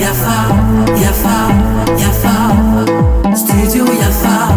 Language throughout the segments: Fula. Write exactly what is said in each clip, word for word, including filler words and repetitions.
Yafa, yafa, yafa. Studio yafa.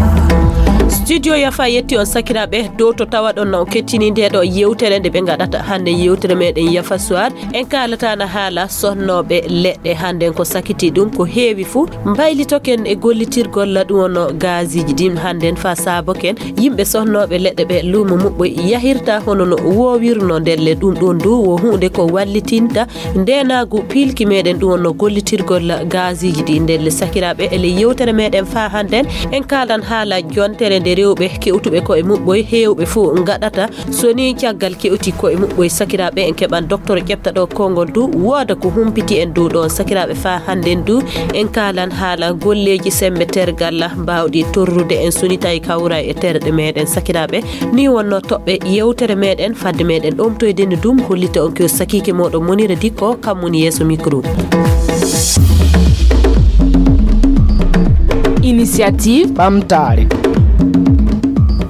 Studio yafa yetti on sakiraaɓe dow to tawaɗon na on kettini nde ɗo yewtere nde ɓe ngaɗata hannde yewtere meɗen yafa soir. En kaalata na haala sonnooɓe leɗɗe hannden ko sakiti ɗum ko heewi fuu. Mbaylitoken e gollitirgol ɗum wonno gaasiiji ɗin hannden faa saaboken yimɓe sonnooɓe leɗɗe ɓe luumo muɓɓoy yahirta hono no woowirno ndelle ɗum ɗon du wo huunde ko wallitinta ndeenaagu piilki meɗen ɗum wonno gollitirgol gaasiiji ɗi ndelle sakiraaɓe ele yewtere meɗen faa hannden en kaalan haala jontere nde rewɓe kewtuɓe koye muɓɓoy heewɓe fof ngaɗata. So ni caggal kewti koye muɓɓoy sakiraaɓe en keɓan docteur ƴefta ɗo konngol du wooda ko humpiti en dow ɗon sakiraaɓe faa hannden du en kaalan haala golleeji semmbe tergal mbaawɗi torrude en so ni tawi kawra e terɗe meɗen sakiraaɓe. Ni wonno toɓɓe yewtere meɗen fadde meɗen ɗomtoyde ni ɗum hollita on ko sakiike moɗon Monira Dikko kam woni yeeso micro. Initiative ɓamtaare.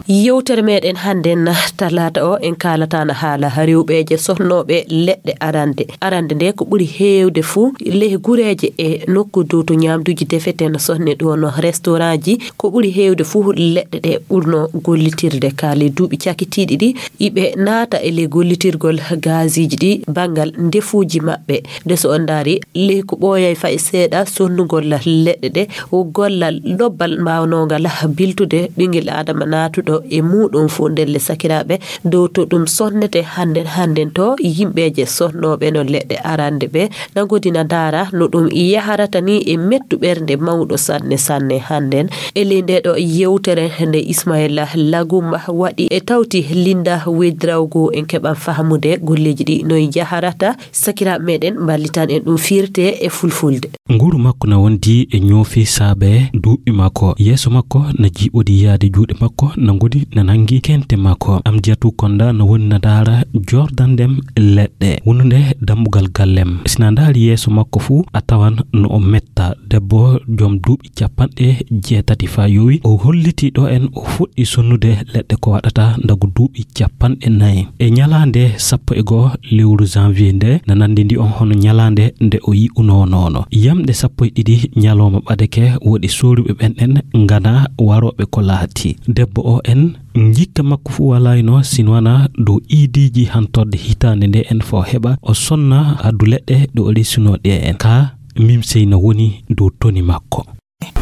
Yewtere meɗen hannden talaata o en kaalata na haala rewɓeeje sohnooɓe leɗɗe arande. Arande nde ko ɓuri heewde fuu ley gureeje e nokku dow to ñaamduuji defeten sohne ɗo no restaurantji ko ɓuri heewde fuu leɗɗe ɗe ɓurno gollitirde ka ley duuɓi cakitiiɗi ɗi iɓe naata e ley gollitirgol gaasiiji ɗi banngal ndefuuji maɓɓe. Nde so on ndaari ley ko ɓooyay fay seeɗa sonnugol leɗɗe ɗe o gollal lobbal mbaawnongal biltude ɓingel aadama naatuɗo e muuɗum fof ndelle sakiraaɓe dow to ɗum sonnete hannden hannden to yimɓeeje sonnooɓe no leɗɗe arande ɓe na ngodi na ndaara no ɗum yaharata ni e mettu ɓernde mawɗo sanne sanne hannden e ley nde ɗo yewtere nde ismaila lagumba waɗi e tawti linda wedrawgo en keɓan fahamude golleeji ɗi no yaharata. Sakiraaɓe meɗen mballitan en ɗum firte e fulfulde. Nguru makko na wondi e ñoofi saabe duuɓi makko yeeso makko na jiiɓodi yaade juuɗe makko na ngodi na nangi kente makko amdiyatu konda na woni na daara jordandem leɗɗe wonunde dambugal gallem si na ndaari yeeso makko fuu a tawan no o metta debbo joom duuɓi capanɗe jeetati faa yowi o holliti ɗo en o fuɗɗi sonnude leɗɗe ko waɗata ndagu duuɓi capanɗe nayi e ñalaande sappo e goo lewru janvier nde na nanndi ndi on hono ñalaande nde o yi'unoo noono yamɗe sappo e ɗiɗi ñalooma ɓadeke woɗi sooruɓe ɓen ɗen ngana warooɓe ko laati debbo o en njikka makko fuu walaayno sinwana dow iidiiji hantorde hitaande nde en fo heɓa o sonna addu leɗɗe ɗo o resunoo ɗe en ka mimsey na woni dow toni makko.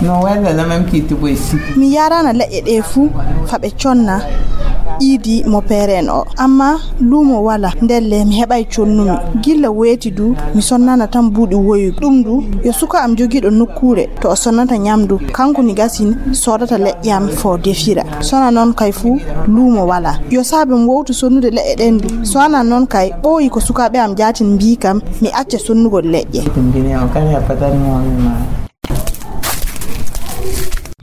No wella na même qui tu boy si. Mi yarana leƴƴe ɗe fuu fa ɓe conna iidi mo peeren o amma luumo wala ndelle mi heɓay connumi gilla weeti du mi sonnana tan buuɗi woyuɓe ɗum du yo suka am jogiiɗo nokkuure to o sonnata ñamdu kanko ni gasin soodata leƴƴe am fo defira sona noon kay fuu luumo wala yo saabe mi wowtu sonnude leƴƴe ɗen du so ana noon kay ɓooyi ko sukaaɓe am jaatin mbii kam mi acca sonnugol leƴƴe.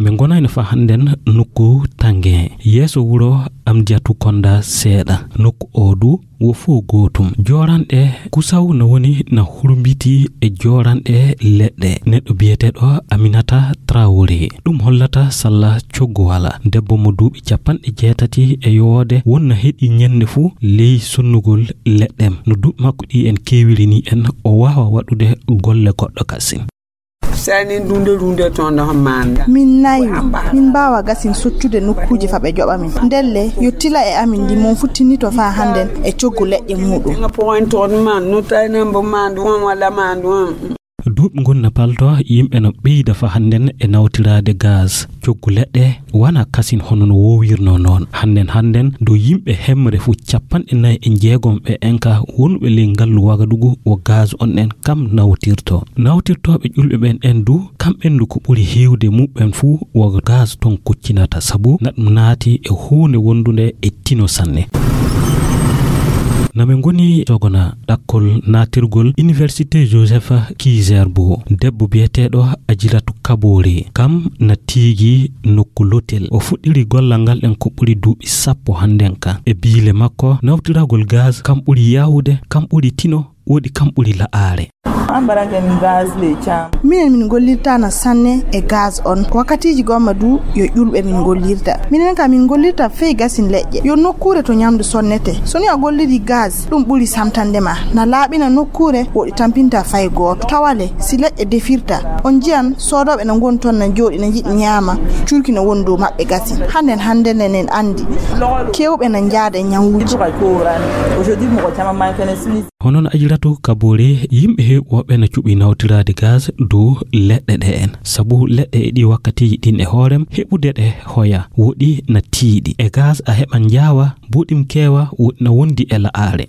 Min ngonayno fa hannden nokku tange yeeso wuro amdiyatu konda seeɗa nokku o du wo fof gootum joranɗe kusaw no woni na hurmbiti e joranɗe leɗɗe neɗɗo biyeteɗo aminata trawore ɗum hollata salla coggu wala debbo mo duuɓi capanɗe jeetati e yowode wonna heɗi ñande fuu ley sonnugol leɗɗem no duuɓi makko ɗi en keewiri ni en o waawa waɗude golle goɗɗo kasin. Sani dunde dunde ton da manda. Min nayi min mbawa gasin sottude nokkuji fa ɓe joɓa min ndelle yo tila e amin ndi mon futtinito fa hannden e coggu leƴƴe muɗum. Point ton man no taynan bo mandu on wala mandu on. Duuɓi ngon na palto yimɓe no ɓeyda fa hannden e nawtiraade gaz coggu leɗɗe wana kasin hono no wowirno noon hannden hannden dow yimɓe hemre fuu capanɗe nayi e jeegom ɓe enka wonɓe ley ngallu wagadugu wo gaz on ɗen kam nawtirto nawtirtooɓe ƴulɓe ɓen en du kamɓen du ko ɓuri heewde muɓɓen fuu wo gaz ton kuccinata sabu na ɗum naati e huunde wondunde e tino sanne. Na min ngoni sogona ɗakkol naatirgol université joseph kizer bo debbo biyeteeɗo ajiratu kaboore kam na tiigi nokku lotel o fuɗɗiri gollal ngal ɗen ko ɓuri duuɓi sappo hannden ka e biile makko nawtiragol gaz kam ɓuri yawude kam ɓuri tino woɗi kam ɓuri la'aare. An mbaɗanke min gaz ley caam. Minen min ngollirtaana sanne e gaz on. Wakkatiiji gomma du yo ƴulɓe min ngollirta. Minen ka min ngollirta fey gasin leƴƴe. Yo nokkuure to ñamdu sonnete. So ni a golliri gaz, ɗum ɓuri samtande ma. Na laaɓina nokkuure, woɗi tampinta fay gooto. Tawale, si leƴƴe defirta, on njiyan soodooɓe na ngoni ton na jooɗi na njiɗi ñaama. Cuurki na woni dow maɓɓe gasin. Hannden, hannden en anndi. Keewɓe na njaada e ñawuuji. Hono no Ajiratu Kabore, yimɓe heewɓe woɓɓe na cuɓi nawtiraade gaz dow leɗɗe ɗe en. Sabu leɗɗe e ɗi wakkatiiji ɗin e hoorem, heɓude ɗe hoya, woɗi na tiiɗi. E gaz a heɓan njaawa, buɗim keewa, woɗi na wondi e la'aare.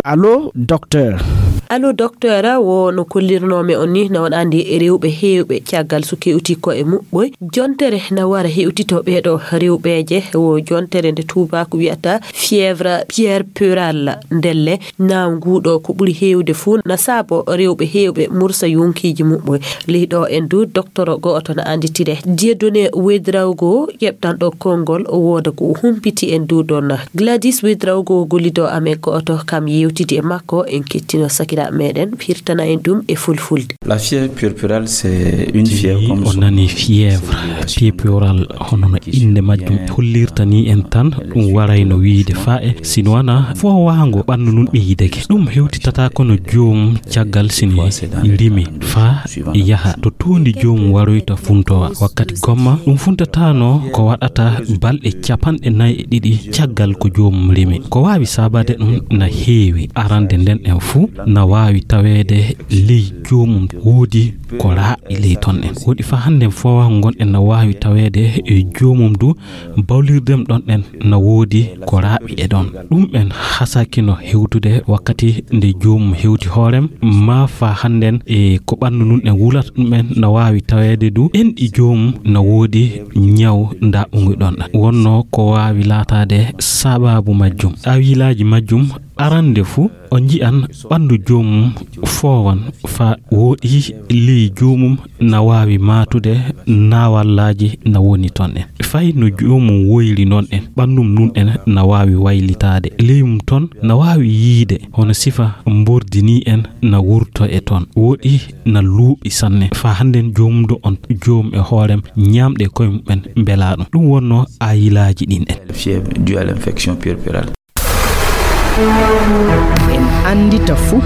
Allo, docteur. Allo, docteur, wo no kollirnoomi on ni, na on anndi e rewɓe heewɓe caggal so kewti ko e muɓɓoy. Jontere na wara hewtito ɓeeɗo rewɓeeje, wo jontere nde tuubaaku wiyata fièvre puerpérale. Ndelle, na nguuɗo ko ɓuri heewde fuu na saabo rewɓe heewɓe mursa yonkiiji muɓɓoy. Ley ɗo en du, doktoro go'oto na annditire. Dieudonné Ouedraogo, ƴeɓtanɗo konngol, o wooda ko o humpiti en du ɗon. Gladys Ouedraogo, gollido amen go'oto, kam yewtidi e makko, en kettino sakiraaɓe meɗen, firtana en ɗum e fulfulde. La fièvre puerpérale, c'est une fièvre comme on nani fièvre puerpérale, hono no innde majjum hollirta ni en tan, ɗum warayno wiide faa e, sino wana foowaango ɓanndu nun ɓeydake. Ɗum hewtitata kono joom caggal sini rimi faa yaha to tuundi joom waroyta funtowa. Wakkati gomma, ɗum funtatano ko waɗata balɗe capanɗe nayi e ɗiɗi caggal ko joom rimi. Ko waawi saabade ɗum na heewi. Arande nden en fuu na waawi taweede ley joomum woodi ko raaɓi ley ton en. Woodi fa hannden foowa ngon en na waawi taweede e joomum du bawlirdem ɗon en na woodi ko raaɓi e ɗon. Ɗum en hasakino hewtude wakkati nde joomum hewti hoorem, maa fa hannden e ko ɓanndu nun en wulata ɗum en na waawi taweede du en ɗi joomum na woodi ñaw ndaɓɓungu ɗon. Wonno ko waawi laataade sababu majjum. Awilaaji majjum arande fu, o nji'an ɓanndu joomum foowan fa woɗi ley joomum na waawi maatude naawallaaji na woni ton en. Fay no joomum woyri non en, ɓanndum nun en na waawi waylitaade. Ley mum ton na waawi yiide hono sifa mbordi ni en na wurto e ton. Woɗi na luuɓi sanne. Fa hannden joomum do on joom e hoorem ñaamɗe koye mum en mbelaa ɗum. Ɗum wonno ayilaaji ɗin en. Fièvre due à l'infection puerpérale. En anndita fuu.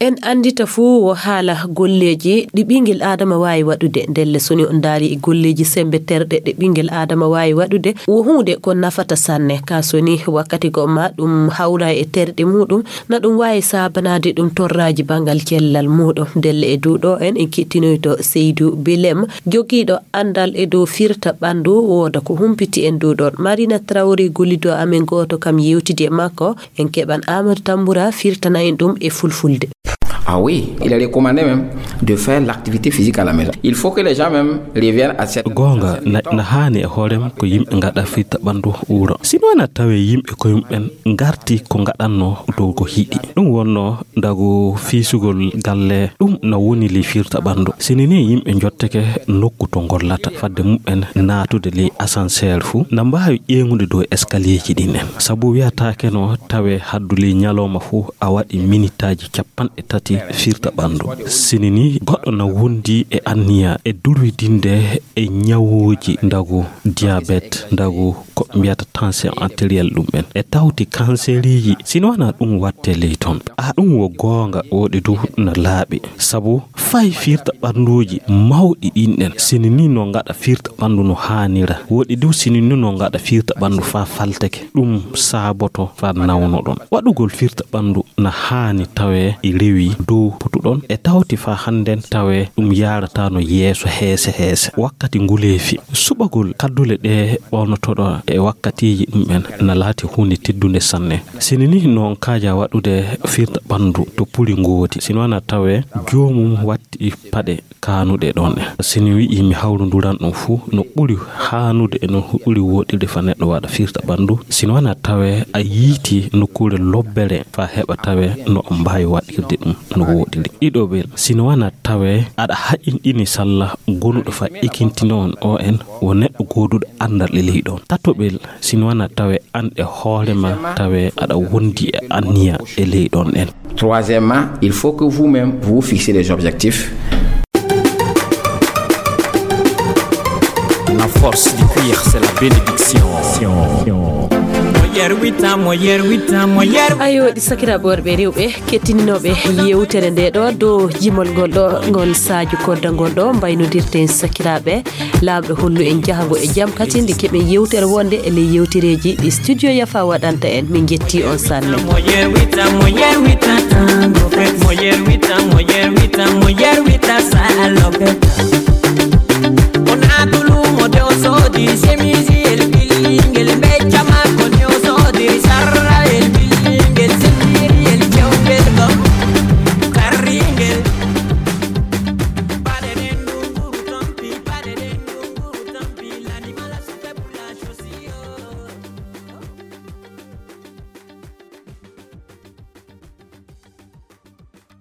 En anndita fuu wo haala golleeji ɗi ɓinngel Aadama waawi waɗude. Ndelle, so ni on ndaari e golleeji semmbe terɗe ɗe ɓinngel Aadama waawi waɗude, wo huunde ko nafata sanne. Ka so ni wakkati goo ma ɗum hawra e terɗe muuɗum, na ɗum waawi saabanaade ɗum torraaji banngal cellal muuɗum. Ndelle e dow ɗo en, en kettinoyto Seydou Bilem, jogiiɗo anndal e dow firta ɓanndu, wooda ko humpiti en dow ɗon. Marina Traoré, gollido amen gooto kam, yewtidi e makko. En keɓan Amadou Tamboura firtana en ɗum e fulfulde. Ah oui, il est recommandé même de faire l'activité physique à la maison. Il faut que les gens même reviennent à cette... Goonga, na, na haani e hoorem ko yimɓe ngaɗa firta ɓanndu wuro. Sino na tawe yimɓe ko yimɓen ngarti ko ngaɗanno dow ko hiɗi. Ɗum wonno ndagu fiisugol galle, ɗum na woni ley firta ɓanndu. Sini ni yimɓe njotteke nokku to ngollata, fadde mum'en naatude ley ascenseur fu, na mbaawi ƴeeŋude dow escalierji ɗin en. Sabu wiyataake no tawe haddu ley ñalooma fu a waɗi minitaaji capanɗe tati firta ɓanndu. Sini ni goɗɗo na wondi e anniya e durwidinde e ñawuuji ndagu diabète, ndagu ko mbiyata tension artérielle ɗum en. E tawti kanseriiji, sino wana ɗum watte ley ton. A ɗum wo goonga, woɗi du na laaɓi. Sabu fay firta ɓannduuji mawɗi ɗin ɗen, sini ni no ngaɗa firta ɓanndu no haanira. Woɗi du sini ni no ngaɗa firta ɓanndu faa falteke. Ɗum saaboto faa nawno ɗon. Waɗugol firta ɓanndu na haani tawe e rewi dow potuɗon. E tawti faa hannden tawe ɗum yaarataano yeeso heese heese. Wakkati nguleefi, suɓagol kaddule ɗe ɓonotoɗo e wakkatiiji ɗum en na laati huunde teddunde sanne. Sini ni noon kaaja waɗude firta ɓanndu to puli ngooti. Sino wana tawe joomum watti paɗe kaanuɗe ɗon en. Sini wi'i mi hawrunduran ɗum fuu no ɓuri haanude e no ɓuri woɗirde fa neɗɗo waɗa firta ɓanndu. Sino wana tawe a yiiti nokkuure lobbere fa heɓa tawe no o mbaawi waɗirde ɗum no woɗiri. Ɗiɗo ɓe, sino wana tawe aɗa haƴinɗini salla gonuɗo fa ekintino on o en wo neɗɗo gooduɗo anndal e ley ɗon. Tato ɓe, Sinwana tawe an e hoore ma tawe aɗa wondi e anniya e ley ɗon en. Troisièmement, il faut que vous-même vous fixez des objectifs. La force du cuir, c'est la bénédiction. Mo yerwita, mo yerwita, mo yerwita. Ayo, ɗi sakiraaɓe worɓe e rewɓe kettinooɓe yewtere nde ɗo dow jimol ngol ɗo ngol Sadio Kodda ngol ɗo mbaynodirten sakiraaɓe. Laamɗo hollu en jahango e jam kadi nde keɓen yewtere wonde e ley yewtereeji ɗi studio Yafa waɗanta en. Min njetti on sanne. Mo yerwita, mo yerwita, tango fe. Mo yerwita, mo yerwita, mo yerwita, salope.